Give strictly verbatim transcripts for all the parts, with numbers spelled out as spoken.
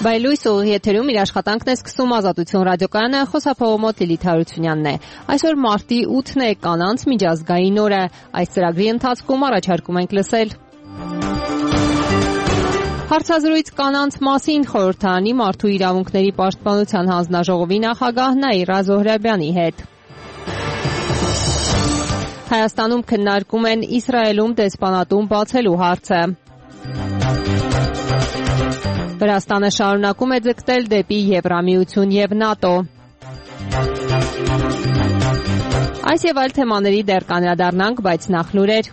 Բայլույս ուղիղ եթերում իր աշխատանքն է սկսում Ազատություն ռադիոկայանը, խոսափողը մոտ Լիլիթ Հարությունյանն է։ Այսօր մարտի ութն է, կանանց միջազգային օր է։ Այս ծրագրի ընթացքում առաջարկում ենք լսել հարցազրույց կանանց մասին խորհրդարանի մարդու իրավունքների պաշտպանության հանձնաժողովի նախագահ Նաիրա Զոհրաբյանի հետ։ Հայաստանում քննարկում են Իսրայելում դեսպանատուն բացելու հարցը։ Վրաստանը շարունակում է ձգտել դեպի Եվրամիություն և ՆԱՏՕ։ Այս և այլ թեմաների դեռ կանդրադառնանք, բայց նախ լուրեր։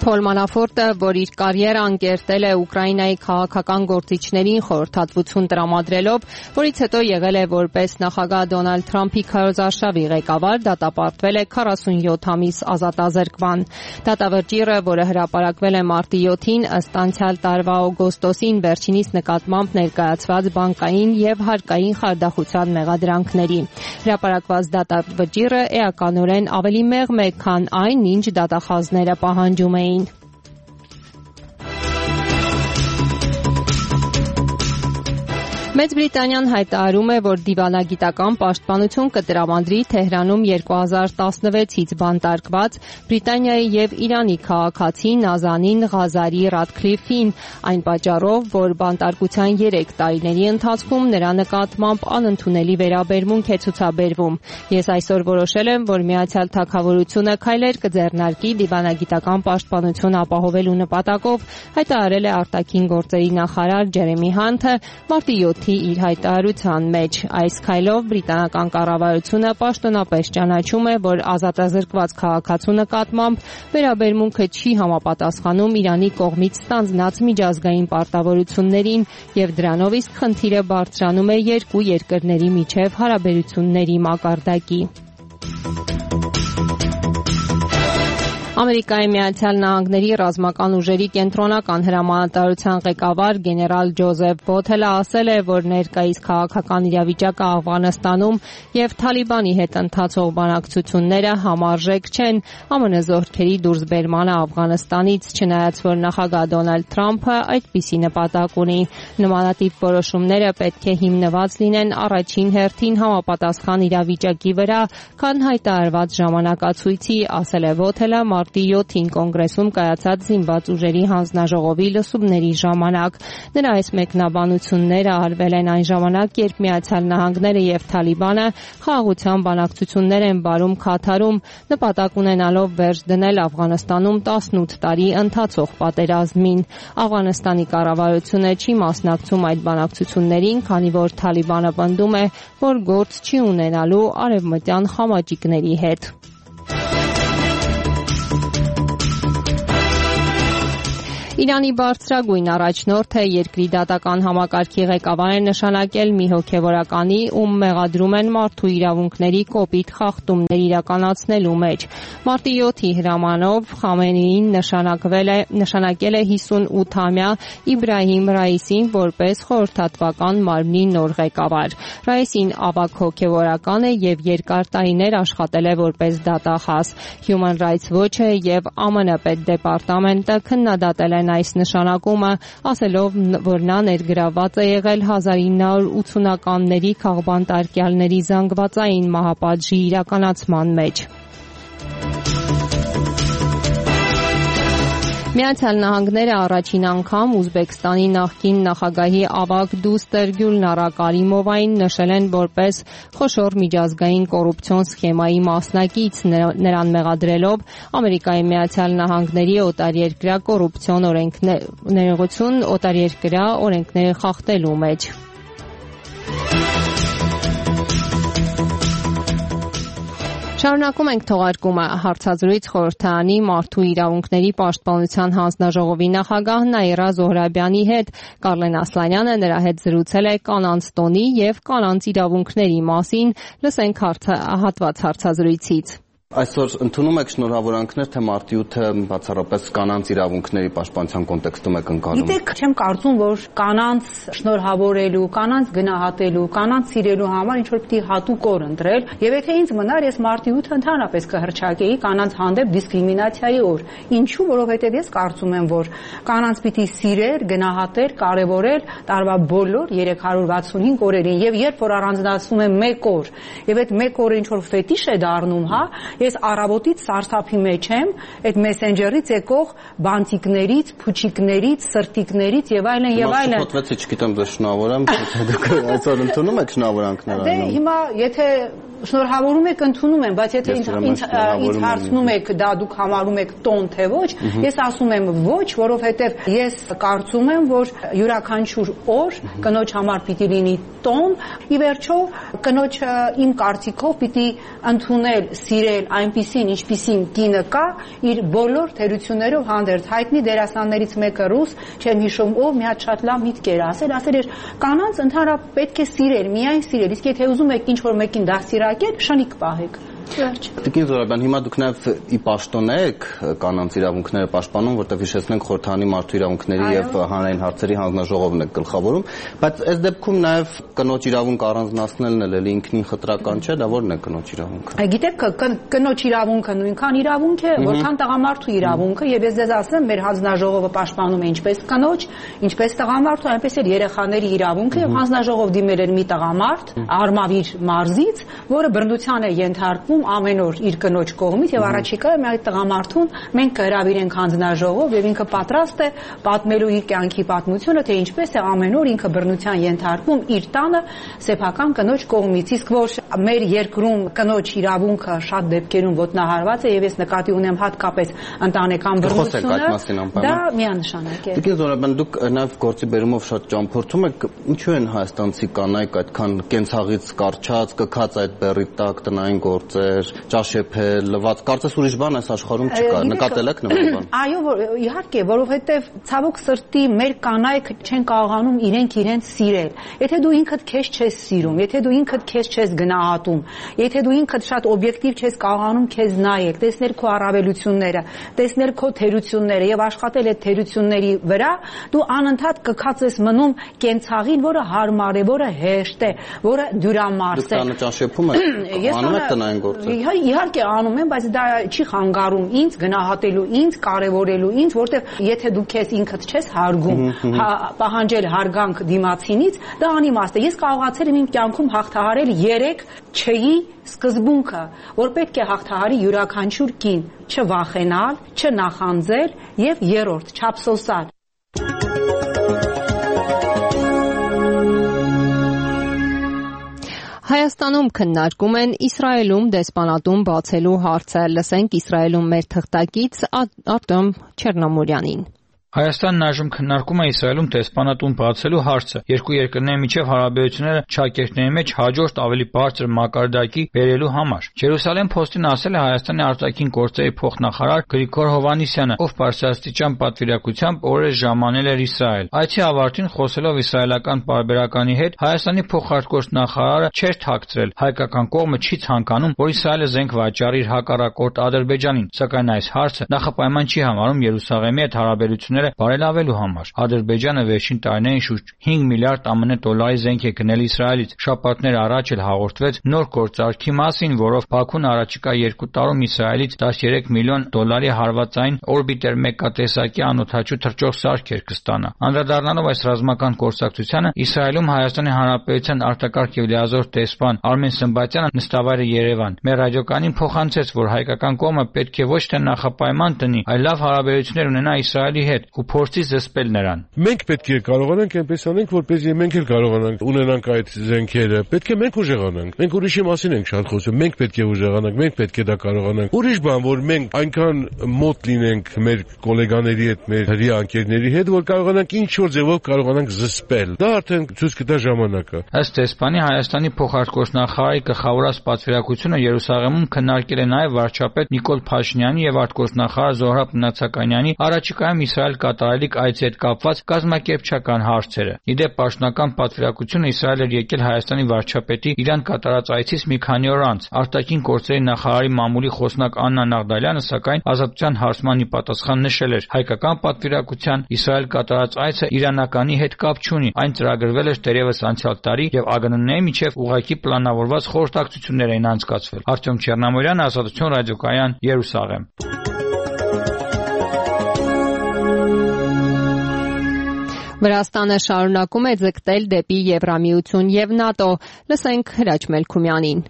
Փոլ Մանաֆորտը, որ իր կարիերան կերտել է Ուկրաինայի քաղաքական գործիչներին խորհրդատվություն տրամադրելով, որից հետո եղել է որպես նախագահ Դոնալդ Թրամփի քարոզարշավի ղեկավար, դատապարտվել է քառասունյոթ ամիս ազատազրկման։ Դատավճիռը, որը հրապարակվել է մարտի յոթին, ըստ անցյալ տարվա օգոստոսին վերջինիս նկատմամբ ներկայացված բանկային և հարկային խարդախության մեղադրանքների։ Հրապարակված դատավճիռը էականորեն ավելի մեղմ է, քան այն, ինչ դատախազները պահանջում էին։ Մեծ Բրիտանիան հայտարարում է, որ դիվանագիտական պաշտպանություն կտրամադրի Թեհրանում երկու հազար տասնվեցից բանտարկված Բրիտանիայի և Իրանի քաղաքացի Նազանին Ղազարի Ռադքլիֆին, այն պատճառով, որ բանտարկության երեք տարիների ընթացքում նրա նկատմամբ անընդունելի վերաբերմունք է ցուցաբերվում։ Ես այսօր որոշել եմ, որ Միացյալ Թագավորությունը քայլեր կձեռնարկի դիվանագիտական պաշտպանություն ապահովելու նպատակով, հայտարարել է արտաքին գործերի նախարար Ջերեմի Հանթը մարտի յոթի իր հայտարարության մեջ։ Այս քայլով բրիտանական կառավարությունը պաշտոնապես ճանաչում է, որ ազատազրկված քաղաքացու նկատմամբ վերաբերմունքը չի համապատասխանում Իրանի կողմից ստանձնած միջազգային պարտավորություններին և դրանով իսկ խնդիրը բարձրանում է երկու երկրների միջև հարաբերությունների մակարդակի։ Ամերիկայի Միացյալ Նահանգների ռազմական ուժերի կենտրոնական հրամանատարության ղեկավար գեներալ Ջոզեֆ Բոթելը ասել է, որ ներկայիս քաղաքական իրավիճակը Աֆղանստանում և Թալիբանի հետ ընթացող բանակցությունները համարժեք չեն ԱՄՆ զորքերի դուրսբերմանը Աֆղանստանից, չնայած որ նախագահ Դոնալդ Թրամփը այդպիսի նպատակ ունի։ Նմանատիպ որոշումները պետք է հիմնված լինեն առաջին հերթին համապատասխան իրավիճակի վրա, քան հայտարարված ժամանակացույցի, ասել է Բոթելը մարտի յոթին կոնգրեսում կայացած զինված ուժերի հանձնաժողովի լսումների ժամանակ։ Նրա այս մեկնաբանությունները արվել են այն ժամանակ, երբ Միացյալ Նահանգները և Թալիբանը խաղաղության բանակցություններ են վարում Քաթարում, նպատակ ունենալով վերջ դնել Աֆղանստանում տասնութ տարի ընթացող պատերազմին։ Աֆղանստանի կառավարությունը չի մասնակցում այդ բանակցություններին, քանի որ Թալիբանը պնդում է, որ գործ չի ունենալու արևմտյան խամաճիկների հետ։ Իրանի բարձրագույն առաջնորդը երկրի դատական համակարգի ղեկավար է նշանակել մի հոգևորականի, ում մեղադրում են մարդու իրավունքների կոպիտ խախտումներ իրականացնելու մեջ։ Մարտի յոթի հրամանով Խամենեին նշանակվել է նշանակել է հիսունութամյա Իբրահիմ Ռայիսին որպես խորհրդատվական մարմնի նոր ղեկավար։ Ռայիսին ավագ հոգևորական է և երկար տարիներ աշխատել է որպես դատախազ։ Human Rights Watch-ը և ԱՄՆ պետդեպարտամենտը քննադատել են այս նշանակումը, ասելով, որ նա ներգրավված է եղել հազար ինը հարյուր ութսունականների քաղբանտարկյալների զանգվածային մահապատժի իրականացման մեջ։ Միացյալ Նահանգները առաջին անգամ Ուզբեկստանի նախկին նախագահի ավագ դուստր Գյուլնարա Կարիմովային նշել են որպես խոշոր միջազգային կոռուպցիոն սխեմայի մասնակից, նրան մեղադրելով Ամերիկայի Միացյալ Նահանգների օտարերկրյա կոռուպցիոն օրենքներություն օտարերկրյա օրենքները խախտելու մեջ։ Շարունակում ենք թողարկումը։ Հարցազրույց խորհրդարանի մարդու իրավունքների պաշտպանության հանձնաժողովի նախագահ Նաիրա Զոհրաբյանի հետ Կարլեն Ասլանյանը նրա հետ զրուցել է կանանց տոնի և կանանց իրավունքների մասին։ Լսենք հատված հարցազրույցից։ Այսօր ընդունում եք շնորհավորանքներ, թե մարտի ութը բացառապես կանանց իրավունքների պաշտպանության կոնտեքստում եք ընկալում։ Գիտեք, չեմ կարծում, որ կանանց շնորհավորելու, կանանց գնահատելու, կանանց սիրելու համար ինչ որ պիտի հատուկ օր ընտրել, եւ եթե ինձ մնար, ես մարտի ութը ընդհանրապես կհռչակեի կանանց հանդեպ դիսկրիմինացիայի օր։ Ինչու՞, որովհետեւ ես կարծում եմ, որ կանանց պիտի սիրել, գնահատել, կարևորել տարվա բոլոր երեք հարյուր վաթսունհինգ օրերին, եւ երբ որ առանձնացնում եմ մեկ օր, եւ այդ մեկ օրը ինչ որ ֆետիշ է դառնում, հա, ես առավոտից սարսափի մեջ եմ այդ մեսենջերից եկող բանտիկներից, փուչիկներից, սրտիկներից եւ այլն եւ այլն։ Մասը փոթվեցի, չգիտեմ, ձեզ շնորհավորեմ, դուք այսօր ընդունում եք շնորհավորանքներ այո։ Դե հիմա եթե շնորհավորում եք, ընդունում եմ, բայց եթե ինձ ինձ հարցնում եք, դա դուք համարում եք տոն թե ոչ, ես ասում եմ ոչ, որովհետև ես կարծում եմ, որ յուրաքանչյուր օր կնոջ համար պիտի լինի տոն, ի վերջո կնոջը իմ կարծիքով պիտի ընդունել, սիրել այնպիսին, ինչպիսին կինը կա, իր բոլոր թերություններով հանդերձ։ Հայտնի դերասաններից մեկը ռուս, չեմ հիշում ով, մի հատ շատ լավ միտք էր ասել, ասել էր կանանց ընդհանրապես պետք է սիրել, միայն սիրել, իսկ եթե ուզում եք ինչ որ մեկին դաստիարակել, շնիկ պահեք։ Տիկին Զորաբյան, հիմա դուք նաև ի պաշտոն եք կանանց իրավունքները պաշտպանում, որտեղ հիշեցնենք Խորհրդանի մարդու իրավունքների եւ հանրային հարցերի հանձնաժողովն եք գլխավորում, բայց այս դեպքում նաև կնոջ իրավունք առանձնացնելն էլ էլի ինքնին խտրական չէ, դա ո՞րն է կնոջ իրավունքը։ Գիտեք, կնոջ իրավունքը նույնքան իրավունք է, որքան տղամարդու իրավունքը, եւ ես ձեզ ասեմ, մեր հանձնաժողովը պաշտպանում է ինչպես կնոջ, ինչպես տղամարդու, այնպես էլ երեխաների իրավունքը, եւ հանձնաժողով դիմել էր մի տղամարդ Արմավիր մարզից, որը բռնության է ենթարկվում ամեն օր իր կնոջ կողմից եւ առաջիկա մի այդ տղամարդուն մենք կհրավիրենք հանձնաժողով եւ ինքը պատրաստ է պատմելու իր կյանքի պատմությունը, թե ինչպես է ամեն օր ինքը բռնության ենթարկվում իր տանը սեփական կնոջ կողմից, իսկ որ մեր երկրում կնոջ իրավունքը շատ դեպքերում ոտնահարված է եւ ես նկատի ունեմ հատկապես ընտանեկան բռնությունը, դա միանշանակ է։ Տիկին Զորաբյան, դուք նաեւ գործի բերումով շատ ճամփորդում եք, ինչու են հայաստանցի կանայք այդքան կենցաղից կարճած, կքած այդ բեռի տակ տնային գործեր, ճաշեփել, լված, կարծես ուրիշ բան այս աշխարհում չկա, նկատել եք նման բան։ Այո, իհարկե, որովհետև ցավոք սրտի մեր կանայք չեն կարողանում իրենք իրենց սիրել։ Եթե դու ինքդ քեզ չես սիրում, եթե դու ինքդ քեզ չես գնահատում, եթե դու ինքդ շատ օբյեկտիվ չես կարողանում քեզ նայել, տեսնել քո առավելությունները, տեսնել քո թերությունները եւ աշխատել այդ թերությունների վրա, դու անընդհատ կքած ես մնում կենցաղին, որը հարմար է, որը հեշտ է, որը դյուրամարս է։ Դուք ճաշեփում եք, անում եք տնային գործեր։ Իհարկե անում եմ, բայց դա չի խանգարում ինձ գնահատելու, ինձ կարևորելու, ինձ, որտեղ եթե դու քեզ ինքդ չես հարգում, պահանջել հարգանք դիմացինից, դա անիմաստ է։ Ես կարողացել եմ իմ կյանքում հաղթահարել երեք չէի սկզբունքը, որ պետք է հաղթահարի յուրաքանչյուր կին, չվախենալ, չնախանձել եւ երրորդ չափսոսալ։ Հայաստանում քննարկում են Իսրայելում դեսպանատուն բացելու հարցը։ Լսենք Իսրայելում մեր թղթակից Արտեմ Չեռնամորյանին։ Հայաստանն այժմ քննարկում է Իսրայելում դեսպանատուն բացելու հարցը։ Երկու երկրների միջև հարաբերությունները ճակերտների մեջ հաջորդ ավելի բարձր մակարդակի բերելու համար։ Ջերուսալեմ Փոստին ասել է Հայաստանի արտաքին գործերի փոխնախարար Գրիգոր Հովհաննիսյանը, ով բարձրաստիճան պատվիրակությամբ օրեր ժամանել էր Իսրայել։ Այցի ավարտին խոսելով իսրայելական պարբերականի հետ, Հայաստանի փոխարտգործնախարարը չէր թաքցրել հայկական կողմը չի ցանկանում, որ Իսրայելը զենք վաճառի իր հակառակորդ Ադրբեջանին, սակայն այս հարցը նախապայման չի համարում Երուսաղեմի հետ հարաբերությունները բարելավելու համար։ Ադրբեջանը վերջին տարիներին շուրջ հինգ միլիարդ ԱՄՆ դոլարի զենք է գնել Իսրայելից։ Շաբաթներ առաջ էլ հաղորդվեց նոր գործարքի մասին, որով Բաքուն առաջիկա երկու տարում Իսրայելից տասներեք միլիոն դոլարի հարվածային օրբիտեր մեկատեսակի անօդաչու թռչող սարքեր կստանա։ Անդրադառնալով այս ռազմական գործակցությանը, Իսրայելում Հայաստանի Հանրապետության արտակարգ եւ լիազոր դեսպան Արմեն Սմբատյանը նստավայր է Երևան։ Մեր ռադիոկանին փոխանցեց, որ հայկական կողմը պետք է ոչ թե նախապայման տնի, այլ լավ հարաբերություններ ունենա Իսրայելի հետ ու փորձի զսպել նրան։ Մենք պետք է կարողանանք այնպես անենք, որպեսզի մենք էլ կարողանանք ունենանք այդ զենքերը։ Պետք է մենք ուժեղանանք։ Մենք ուրիշի մասին ենք շատ խոսում, մենք պետք է ուժեղանանք, մենք պետք է դա կարողանանք։ Ուրիշ բան, որ մենք այնքան մոտ լինենք մեր գոլեգաների հետ, մեր հրյա անկերների հետ, որ կարողանանք ինչ որ ձևով կարողանանք զսպել։ Դա արդեն ցույց կտա ժամանակը։ Ըստ դեսպանի Հայաստանի փոխարտգործնախարարի գլխավորած պատվիրակությունը Երուսաղեմում քննարկել է նաև վարչապետ Նիկոլ Փաշինյանի եւ արտգործնախարար Զոհրաբ Նացականյանի առաջիկայում Իսրայել կատարելիք այցի հետ կապված կազմակերպչական հարցերը։ Իդեպ պաշտոնական պատվիրակությունը Իսրայել էր եկել Հայաստանի վարչապետի Իրան կատարած այցից մի քանի օր անց։ Արտաքին գործերի նախարարի մամուլի խոսնակ Աննա Նաղդալյանը սակայն ազատության հարցմանի պատասխան նշել էր. հայկական պատվիրակության Իսրայել կատարած այցը իրանականի հետ կապ չունի, այն ծրագրվել էր դեռևս անցյալ տարի եւ ԱԳՆՆ-ի միջև ուղղակի պլանավորված խորհրդակցություններ էին անցկացվել։ Արտյոմ Չեռնամորյան, Ազատություն ռադիոկայան, Երուսաղեմ։ Վրաստանը շարունակում է ձգտել դեպի Եվրամիություն եւ ՆԱՏՕ։ Լսենք Հրաչ Մելքումյանին։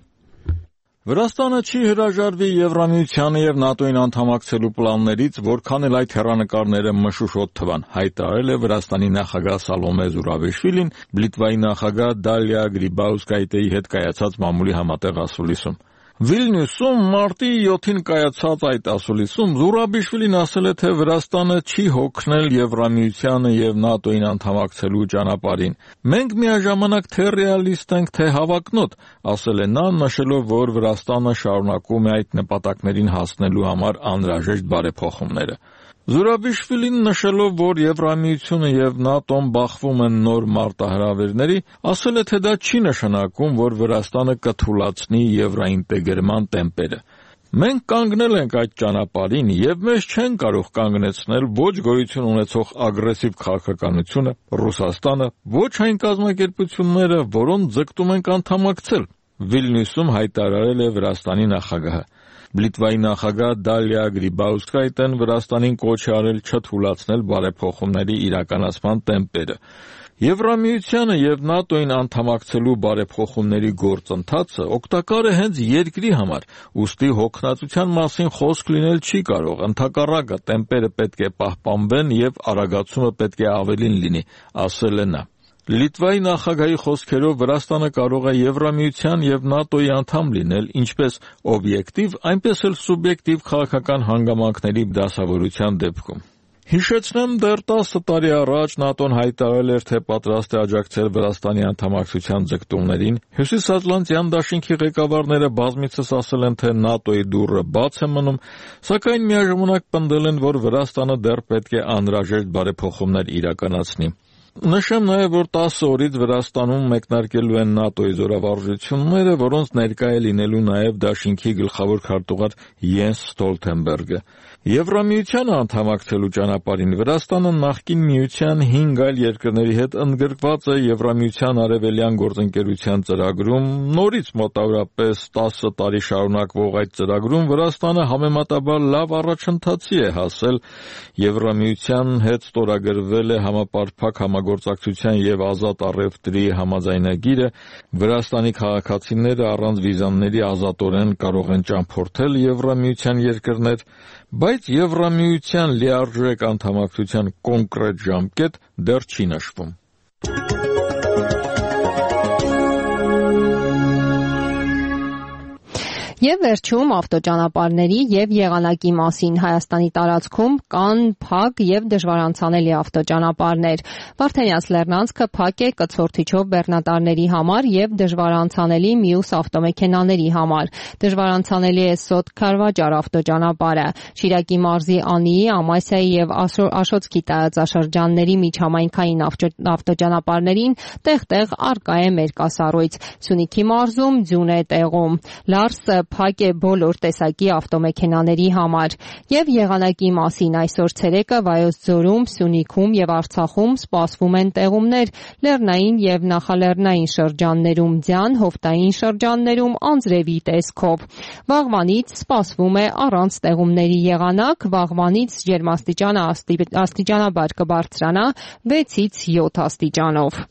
Վրաստանը չի հրաժարվի Եվրամիությանը եւ ՆԱՏՕ-ին անդամակցելու պլաններից, որքան էլ այդ հեռանկարները մշուշոտ թվան, հայտարարել է Վրաստանի նախագահ Սալոմե Զուրաբիշվիլին Լիտվայի նախագահ Դալիա Գրիբաուսկայտեի հետ կայացած մամուլի համատեղ ասուլիսում։ Վիլնյուսում մարտի յոթին կայացած այդ ասուլիսում Զուրաբիշվիլին ասել է, թե Վրաստանը չի հոգնել Եվրամիությանը եւ ՆԱՏՕ-ին անդամակցելու ճանապարհին։ Մենք միաժամանակ թե ռեալիստ ենք, թե հավակնոտ, ասել է նա, նշելով, որ Վրաստանը շարունակում է այդ նպատակներին հասնելու համար անհրաժեշտ բարեփոխումները։ Զուրաբիշվիլին նշելով, որ Եվրամիությունը եւ ՆԱՏՕ-ն բախվում են նոր մարտահրավերների, ասել է, թե դա չի նշանակում, որ Վրաստանը կթուլացնի եվրոինտեգրման տեմպերը։ Մենք կանգնել ենք այդ ճանապարհին եւ մեզ չեն կարող կանգնեցնել ոչ գոյություն ունեցող ագրեսիվ քաղաքականությունը, Ռուսաստանը, ոչ այն կազմակերպությունները, որոնց ձգտում ենք անդամակցել, Վիլնյուսում հայտարարել է Վրաստանի նախագահը։ Լիտվայի նախագահ Դալիա Գրիբաուսկայտեն Վրաստանին կոչ է արել չթուլացնել բարեփոխումների իրականացման տեմպերը։ Եվրամիությանը եւ ՆԱՏՕ-ին անդամակցելու բարեփոխումների գործընթացը օգտակար է հենց երկրի համար, ուստի հոգնածության մասին խոսք լինել չի կարող, ընդհակառակը տեմպերը պետք է պահպանվեն եւ արագացումը պետք է ավելին լինի, ասել է նա։ Լիտվայի նախագահի խոսքերով Վրաստանը կարող է Եվրամիության եւ ՆԱՏՕ-ի անդամ լինել ինչպես օբյեկտիվ, այնպես էլ սուբյեկտիվ քաղաքական հանգամանքների դասավորության դեպքում։ Հիշեցնեմ, դեռ տասը տարի առաջ ՆԱՏՕ-ն հայտարարել էր, թե պատրաստ է աջակցել Վրաստանի անդամակցության ձգտումներին։ Հյուսիսատլանտյան դաշինքի ղեկավարները բազմիցս ասել են, թե ՆԱՏՕ-ի դուռը բաց է մնում, սակայն միաժամանակ պնդել են, որ Վրաստանը դեռ պետք է անհրաժեշտ բարեփոխումներ իրականացնի։ Նշեմ նաև, որ տասը օրից Վրաստանում մեկնարկելու են ՆԱՏՕ-ի զորավարժությունները, որոնց ներկա է լինելու նաև դաշինքի գլխավոր քարտուղար Յենս Ստոլթենբերգը։ Եվրամիությանը անդամակցելու ճանապարհին Վրաստանը նախկին միության հինգ այլ երկրների հետ ընդգրկված է Եվրամիության արևելյան գործընկերության ծրագրում, նորից մոտավորապես տասը տարի շարունակվող այդ ծրագրում Վրաստանը համեմատաբար լավ առաջընթացի է հասել։ Եվրամիության հետ ստորագրվել է համապարփակ համագործակցության եւ ազատ առևտրի համաձայնագիրը, Վրաստանի քաղաքացիները առանց վիզաների ազատորեն կարող են ճամփորդել Եվրամիության երկրներ, բայց Եվրամիության լիարժեք անդամակցության կոնկրետ ժամկետ դեռ չի նշվում։ Եվ վերջում ավտոճանապարհների եւ եղանակի մասին Հայաստանի տարածքում կան փակ եւ դժվարանցանելի ավտոճանապարհներ։ Վարդենյաց Լեռնանցքը փակ է կցորդիչով բեռնատարների համար եւ դժվարանցանելի մյուս ավտոմեքենաների համար։ Դժվարանցանելի է Սոտ Քարվաճար ավտոճանապարհը։ Շիրակի մարզի Անիի, Ամասիայի եւ Աշոտսկի տարածաշրջանների միջհամայնքային ավտոճանապարհներին տեղ-տեղ արկա է մերկասառույց։ Սյունիքի մարզում ձյուն է տեղում։ Լարսը փակ է բոլոր տեսակի ավտոմեքենաների համար։ Եվ եղանակի մասին այսօր ցերեկը Վայոց ձորում, Սյունիքում եւ Արցախում սպասվում են տեղումներ, լեռնային եւ նախալեռնային շրջաններում ձյան, հովտային շրջաններում անձրևի տեսքով։ Վաղվանից սպասվում է առանց տեղումների եղանակ, վաղվանից ջերմաստիճանը աստիճանաբար կբարձրանա վեցից յոթ աստիճանով։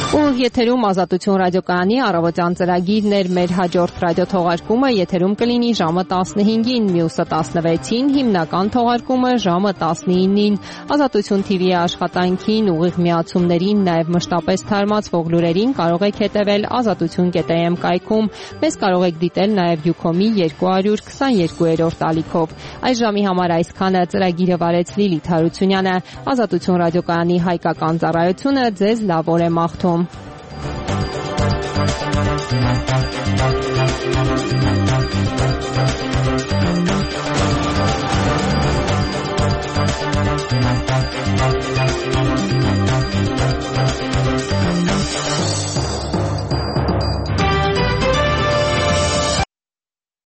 Ու եթերում Ազատություն ռադիոկայանի առավոտյան ծրագիրն էր, մեր հաջորդ ռադիոթողարկումը եթերում կլինի ժամը տասնհինգին, մյուսը տասնվեցին, հիմնական թողարկումը ժամը տասնինին։ Ազատություն թիվի աշխատանքին, ուղիղ միացումներին, նաև մշտապես թարմացվող լուրերին կարող եք հետևել ազատություն կետ է էմ կայքում։ Մեզ կարող եք դիտել նաև Յուքոմի երկու հարյուր քսաներկուերորդ ալիքով։ Այս ժամի համար այսքանը, ծրագիրը վարեց Լիլիթ Հարությունյանը։ Ազատություն ռադիոկայանի հայկական ծառայությունը ձեզ լավ օր է մաղթում։ Thank you.